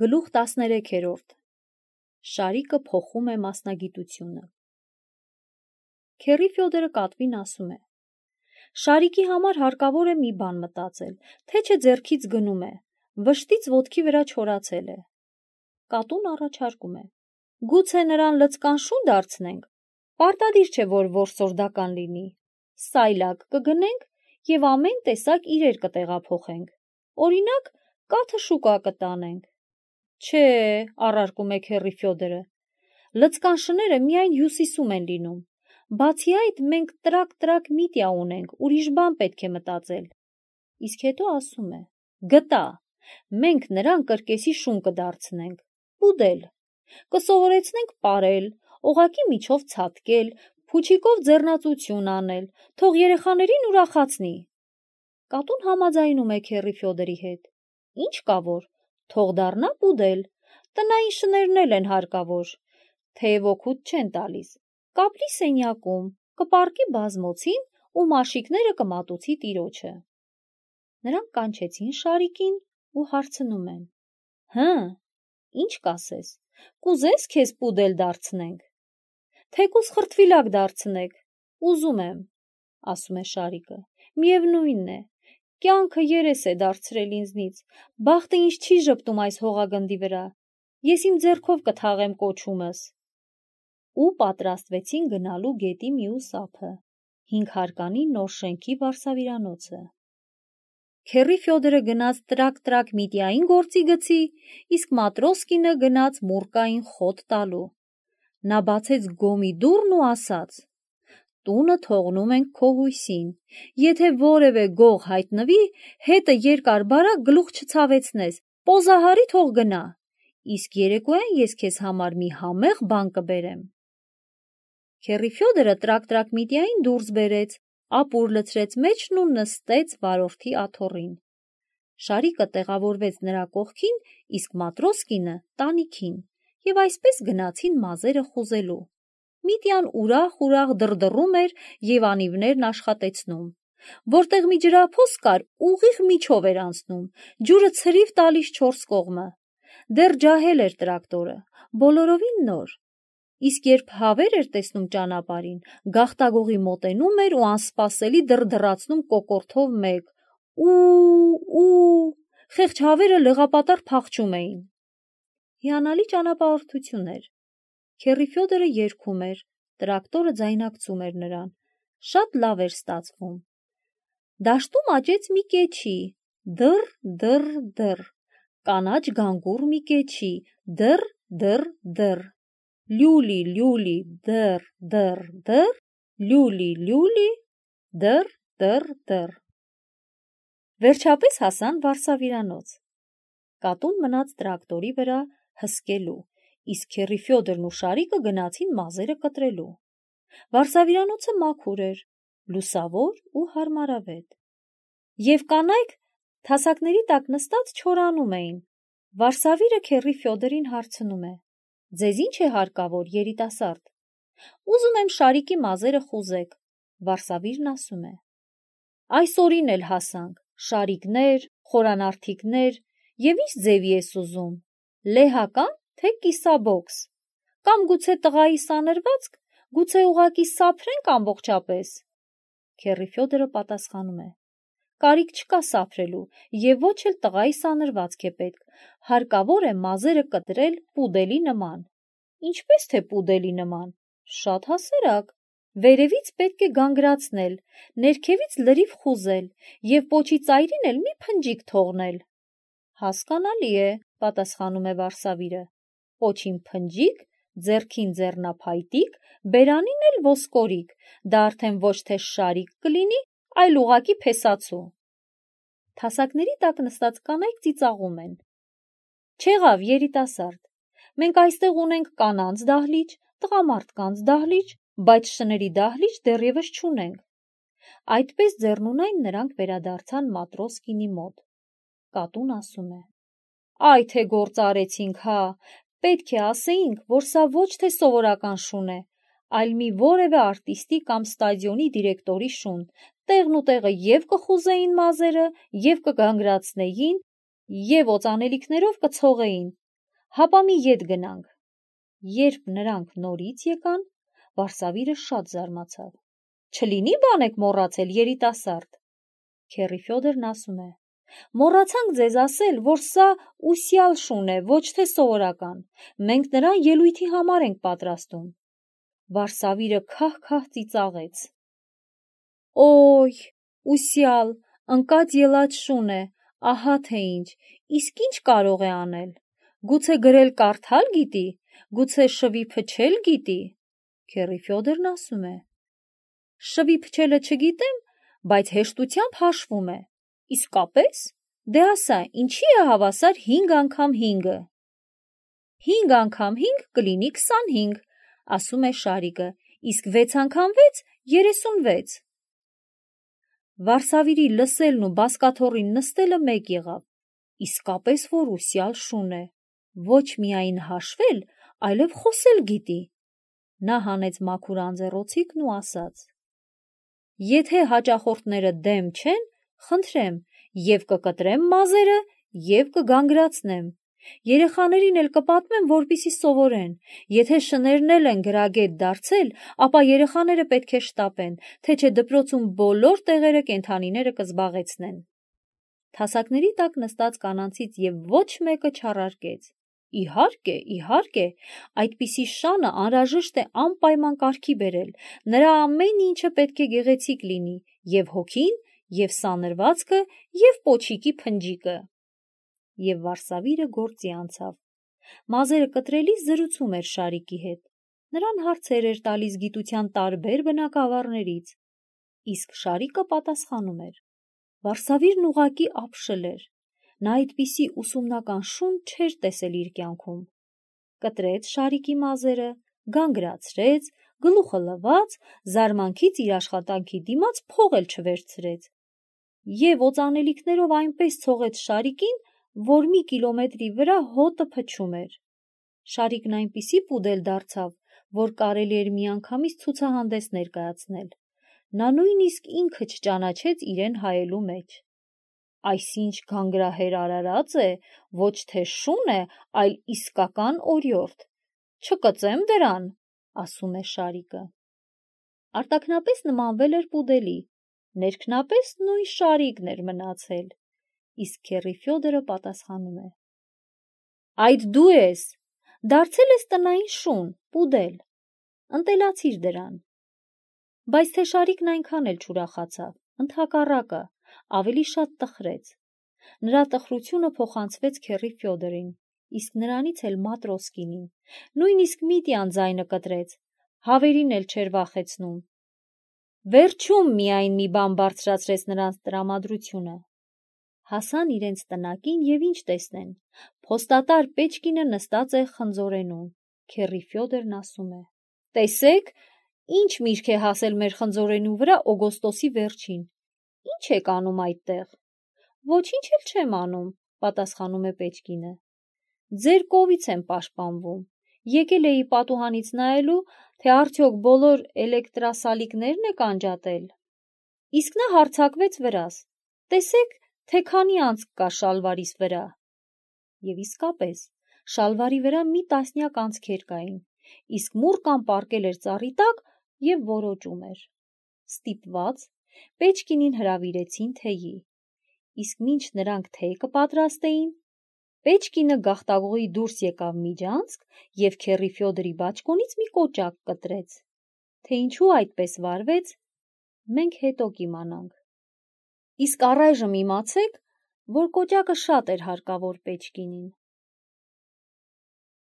Գլուխ 13-րդ Շարիկը փոխում է մասնագիտությունը։ Քեռի Ֆյոդորը կատվին ասում է. Շարիկի համար հարկավոր է մի բան մտածել, թե չէ ձեռքից գնում է, վշտից ոտքի վրա չորացել է։ Կատուն առաջարկում է. Գուցե նրան լցկան շուն դարձնենք, պարտադիր չէ, որ որսորդական լինի, սայլակ կգնենք և ամեն տեսակ իրեր կտեղափոխենք, օրինակ կաթը շուկա կտանենք։ Չէ, առարկում է քեռի Ֆյոդորը, լցկան շները միայն հյուսիսում են լինում, բացի այդ մենք տրակ միտիա ունենք, ուրիշ բան պետք է մտածել։ Իսկ հետո ասում է. գտա, մենք նրան կրկեսի շուն կդարձնենք, պուդել, կսովորեցնենք պարել, օղակի միջով ցատկել, փուչիկով ձեռնածություն անել, թող երեխաներին ուրախացնի։ Կատուն համաձայնում է քեռի Ֆյոդորի հետ։ Ինչ կա որ, թող դառնա պուդել, տնային շներն էլ են հարկավոր, թեև օգուտ չեն տալիս, կապրի սենյակում, կպառկի բազմոցին ու մաշիկները կմատուցի տիրոջը։ Նրանք կանչեցին Շարիկին ու հարցնում են. Հը, ինչ կասես, կուզես քեզ պուդել դարձնենք։ Թեկուզ խրտվիլակ դարձնեք, ուզում եմ, ասում է Շարիկը, միևնույնն է, կյանքը երես է դարձրել ինձնից, բախտը ինձ չի ժպտում այս հողագնդի վրա, ես իմ ձեռքով կթաղեմ կոչումս։ Ու պատրաստվեցին գնալու գետի մյուս ափը, 5 հարկանի նոր շենքի վարսավիրանոցը։ Քեռի Ֆյոդորը գնաց տրակ միտիային գործի գցի, իսկ Մատրոսկինը գնաց մուրկային խոտ տալու։ Նա բացեց գոմի դուռն ու ասաց. Տունը թողնում ենք քո հույսին, եթե որևէ գող հայտնվի, հետը երկար բարակ գլուխ չցավեցնես, պոզահարի թող գնա, իսկ երեկոյան ես քեզ համար մի համեղ բան կբերեմ։ Քեռի Ֆյոդորը տրակ միտիային դուրս բերեց, ապուր լցրեց մեջն ու նստեց վարորդի աթոռին։ Շարիկը տեղավորվեց նրա կողքին, իսկ Մատրոսկինը տանիքին, և այսպես գնացին մազերը խուզելու։ Միտիան ուրախ դրդռում էր և անիվներն աշխատեցնում։ Որտեղ մի ջրափոս կար, ուղիղ միջով էր անցնում, ջուրը ցրիվ տալիս 4 կողմը։ Դեռ ջահել էր տրակտորը, բոլորովին նոր։ Իսկ երբ հավեր էր տեսնում ճանապարհին, գաղտագողի մոտենում էր ու անսպասելի դրդռացնում կոկորդով մեկ. ու, խեղճ հավերը լեղապատառ փախչում էին։ Հիանալի ճանապարհորդություն էր։ Քեռի Ֆյոդորը երգում էր, տրակտորը ձայնակցում էր նրան, շատ լավ էր ստացվում։ Դաշտում աճեց մի կեչի, դռ, կանաչ գանգուր մի կեչի, դռ, լյուլի, դռ, լյուլի, դռ։ Վերջապես հասան վարսավիրանոց։ Կատուն մնաց տրակտորի վրա հսկելու, իսկ քեռի Ֆյոդորն ու Շարիկը գնացին մազերը կտրելու։ Վարսավիրանոցը մաքուր էր, լուսավոր ու հարմարավետ։ Եվ կանայք թասակների տակ նստած չորանում էին։ Վարսավիրը քեռի Ֆյոդորին հարցնում է. Ձեզ ինչ է հարկավոր, երիտասարդ։ Ուզում եմ Շարիկի մազերը խուզեք։ Վարսավիրն ասում է. Այսօրին էլ հասանք, շարիկներ, խորանարդիկներ, և ինչ ձևի ես ուզում, լեհական, թե կիսաբոքս, կամ գուցե տղայի սանրվածք, գուցե ուղղակի սափրենք ամբողջապես։ Քեռի Ֆյոդորը պատասխանում է. Կարիք չկա սափրելու, և ոչ էլ տղայի սանրվածք է պետք, հարկավոր է մազերը կտրել պուդելի նման։ Ինչպես թե պուդելի նման, շատ հասարակ, վերևից պետք է գանգրացնել, ներքևից լրիվ խուզել և պոչի ծայրին էլ մի փնջիկ թողնել։ Հասկանալի է, պատասխանում է վարսավիրը, պոչին փնջիկ, ձեռքին ձեռնափայտիկ, բերանին էլ ոսկորիկ, դա արդեն ոչ թե շարիկ կլինի, այլ ուղղակի փեսացու։ Թասակների տակ նստած կանայք ծիծաղում են. Չեղավ, երիտասարդ, մենք այստեղ ունենք կանանց դահլիճ, տղամարդկանց դահլիճ, բայց շների դահլիճ դեռևս չունենք։ Այդպես ձեռնունայն նրանք վերադարձան Մատրոսկինի մոտ։ Կատուն ասում է. Այ թե գործ արեցինք, հա, պետք է ասեինք, որ սա ոչ թե սովորական շուն է, այլ մի որևէ արտիստի կամ ստադիոնի դիրեկտորի շուն, տեղն ու տեղը և կխուզեին մազերը, և կգանգրացնեին, և օծանելիքներով կցողեին, Հապա մի ետ գնանք։ Երբ նրանք նորից եկան, Վարսավիրը շատ զարմացավ։ Չլինի բան եք մոռացել, երիտասարդ։ Քեռի Ֆյոդորն ասում է. Մոռացանք ձեզ ասել, որ սա ուսյալ շուն է, ոչ թե սովորական։ Մենք նրան ելույթի համար ենք պատրաստում։ Վարսավիրը քահ-քահ ծիծաղեց։ Օй, ուսյալ, ընկած ելած շուն է, ահա թե ինչ, իսկ ինչ կարող է անել։ Գուցե գրել կարդալ գիտի, գուցե շվի փչել գիտի։ Քեռի Ֆյոդորն ասում է. Շվի փչելը չգիտեմ, բայց հեշտությամբ հաշվում է։ Իսկապես, դե ասա, ինչի է հավասար 5 անգամ 5-ը։ 5 անգամ 5 կլինի 25, ասում է Շարիկը, իսկ 6 անգամ 6 36։ Վարսավիրի լսելն ու բազկաթոռին նստելը մեկ եղավ, իսկապես որ ուսյալ շուն է, ոչ միայն հաշվել, այլև խոսել գիտի։ Նա հանեց մաքուր անձեռոցիկն ու ասաց. Եթե հաճախորդները դեմ չեն, խնդրեմ, եւ կկտրեմ մազերը, եւ կգանգրացնեմ։ Երեխաներին էլ կպատմեմ, որպեսզի սովորեն։ Եթե շներն էլ են գրագետ դարձել, ապա երեխաները պետք է շտապեն, թե չէ դպրոցում բոլոր տեղերը կենդանիները կզբաղեցնեն։ Թասակների տակ նստած կանանցից եւ ոչ մեկը չառարկեց։ Իհարկե, իհարկե, այդպիսի շանը անհրաժեշտ է անպայման կարգի բերել, նրա ամեն ինչը պետք է գեղեցիկ լինի, եւ հոգին, եւ սանրվածքը, եւ պոչիկի փնջիկը։ Եվ Վարսավիրը գործի անցավ։ Մազերը կտրելիս զրուցում էր Շարիկի հետ։ Նրան հարցեր էր տալիս գիտության տարբեր բնագավառներից, իսկ Շարիկը պատասխանում էր։ Վարսավիրն ուղղակի ապշել էր։ Նա այդպիսի ուսումնական շուն չէր տեսել իր կյանքում։ Կտրեց Շարիկի մազերը, գանգրացրեց, գլուխը լվաց, զարմանքից իր աշխատանքի դիմաց փող էլ չվերցրեց։ Եվ օծանելիքներով այնպես ցողեց Շարիկին, որ մի կիլոմետրի վրա հոտը փչում էր։ Շարիկն այնպիսի պուդել դարձավ, որ կարելի էր միանգամից ցուցահանդես ներկայացնել։ Նա նույնիսկ ինքը չճանաչեց իրեն հայելու մեջ։ Այսինչ գանգրահեր արարած է, ոչ թե շուն է, այլ իսկական օրիորդ։ Չկծեմ դրան, ասում է Շարիկը։ Արտաքնապես նմանվել էր պուդելի, ներքնապես նույն Շարիկն էր մնացել, իսկ Քեռի Ֆյոդորը պատասխանում է. Այդ դու ես, դարձել ես տնային շուն, պուդել, ընտելացիր դրան։ Բայց թե Շարիկն այնքան էլ չուրախացավ, ընդհակառակը, ավելի շատ տխրեց։ Նրա տխրությունը փոխանցվեց Քեռի Ֆյոդորին, իսկ նրանից էլ Մատրոսկինին, նույնիսկ Միտյան ձայնը կտրեց, հավերին էլ չէր վախեցնում։ Վերջում միայն մի բան բարձրացրեց նրանց տրամադրությունը։ Հասան իրենց տնակին եւ ինչ տեսնեն, փոստատար Պեչկինը նստած է խնձորենում։ Քեռի Ֆյոդորն ասում է. Տեսեք, ինչ միրգ է հասել մեր խնձորենու վրա օգոստոսի վերջին։ Ինչ եք անում այդտեղ։ Ոչինչ էլ չեմ անում, պատասխանում է Պեչկինը։ Ձեր կովից եմ պաշտպանվում։ Եկել էի պատուհանից նայելու, թե արդյոք բոլոր էլեկտրասալիկներն եք անջատել։ Իսկ նա հարձակվեց վրաս։ Տեսեք, թե քանի անցք կա շալվարիս վրա։ Եվ իսկապես, շալվարի վրա մի տասնյակ անցքեր կային, իսկ մուրկան պառկել էր ծառի տակ եւ որոճում էր։ Ստիպված, Պեչկինին հրավիրեցին թեյի, իսկ մինչ նրանք թեյ կպատրաստեին, Պեչկինը գաղտագողի դուրս եկավ միջանցք եւ Քեռի Ֆյոդորի բաճկոնից մի կոճակ կտրեց։ Թե ինչու այդպես վարվեց, մենք հետո կիմանանք։ Իսկ առայժմ իմացեք, որ կոճակը շատ էր հարկավոր Պեչկինին։